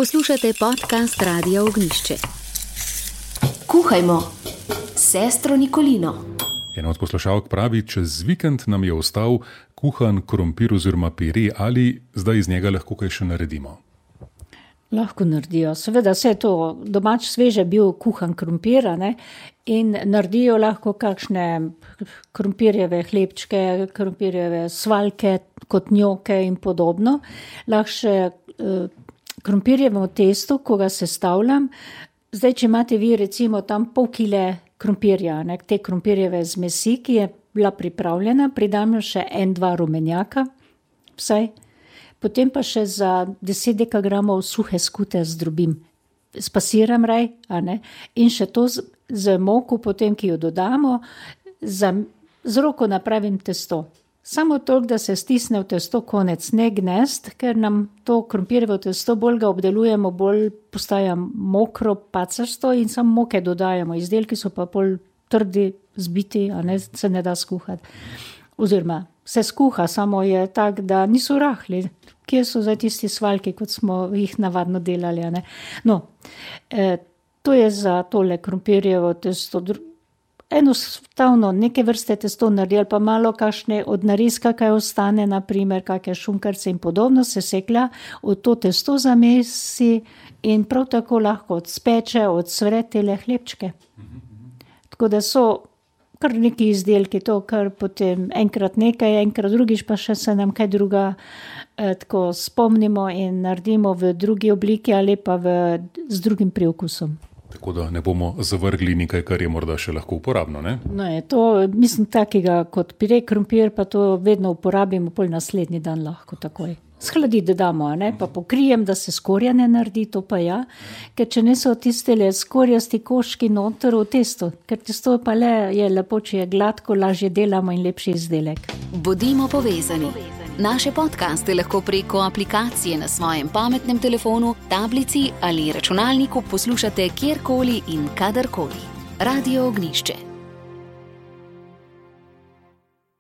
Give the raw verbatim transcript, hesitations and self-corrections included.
Poslušate podcast Radia Ognjišče. Kuhajmo s sestro Nikolino. Ena od poslušalk pravi, čez vikend nam je ostal kuhan krompir oziroma pire, ali zdaj iz njega lahko kaj še naredimo? Lahko naredijo. Seveda vse to domač sveže bil kuhan krompir, ne? In naredijo lahko kakšne krompirjeve hlebčke, krompirjeve svaljke, kot njoke in podobno. Lahko še eh, krompirjevo testo, ko ga sestavljam. Zdaj, če imate vi recimo tam pol kile krompirja, ne? Te krompirjeve zmesi, ki je bila pripravljena, pridam še en, dva rumenjaka, vsaj. Potem pa še za deset dekagramov suhe skute zdrobim. Spasiram raj, a ne? In še to z, z moko, potem, ki jo dodamo, za, z roko napravim testo. Samo toliko, da se stisne v testo konec, ne gnest, ker nam to krompirjevo testo bolj ga obdelujemo, bolj postaja mokro, pacasto in samo moke dodajamo. Izdelki so pa bolj trdi, zbiti, a ne, se ne da skuhati. Oziroma, se skuha, samo je tak, da niso rahli. Kje so zdaj tisti svaljki, kot smo jih navadno delali, a ne? No, eh, to je za tole krompirjevo testo. Enostavno neke vrste testo naredi, ali pa malo kakšne od narezka, kaj ostane, naprimer, kakšne šunkarce in podobno, se seklja, od to testo zamesi in prav tako lahko odspeče, odsvre tele hlebčke. Tako da so kar neki izdelki, to kar potem enkrat nekaj, enkrat drugič, pa še se nam kaj druga eh, tako spomnimo in naredimo v drugi obliki ali pa v, z drugim priokusom. Tako da ne bomo zavrgli nekaj, kar je morda še lahko uporabno, ne? No je to, mislim, takega kot pire krompir, pa to vedno uporabimo, pol naslednji dan lahko takoj. Shladiti damo, a ne, pa pokrijem, da se skorja ne naredi, to pa ja, ker če ne so tistele skorjasti koški noter v testo, ker testo pa le je lepo, če je gladko, lažje delamo in lepši izdelek. Bodimo povezani. Naše podcaste lahko preko aplikacije na svojem pametnem telefonu, tablici ali računalniku poslušate kjerkoli in kadarkoli. Radio Ognjišče.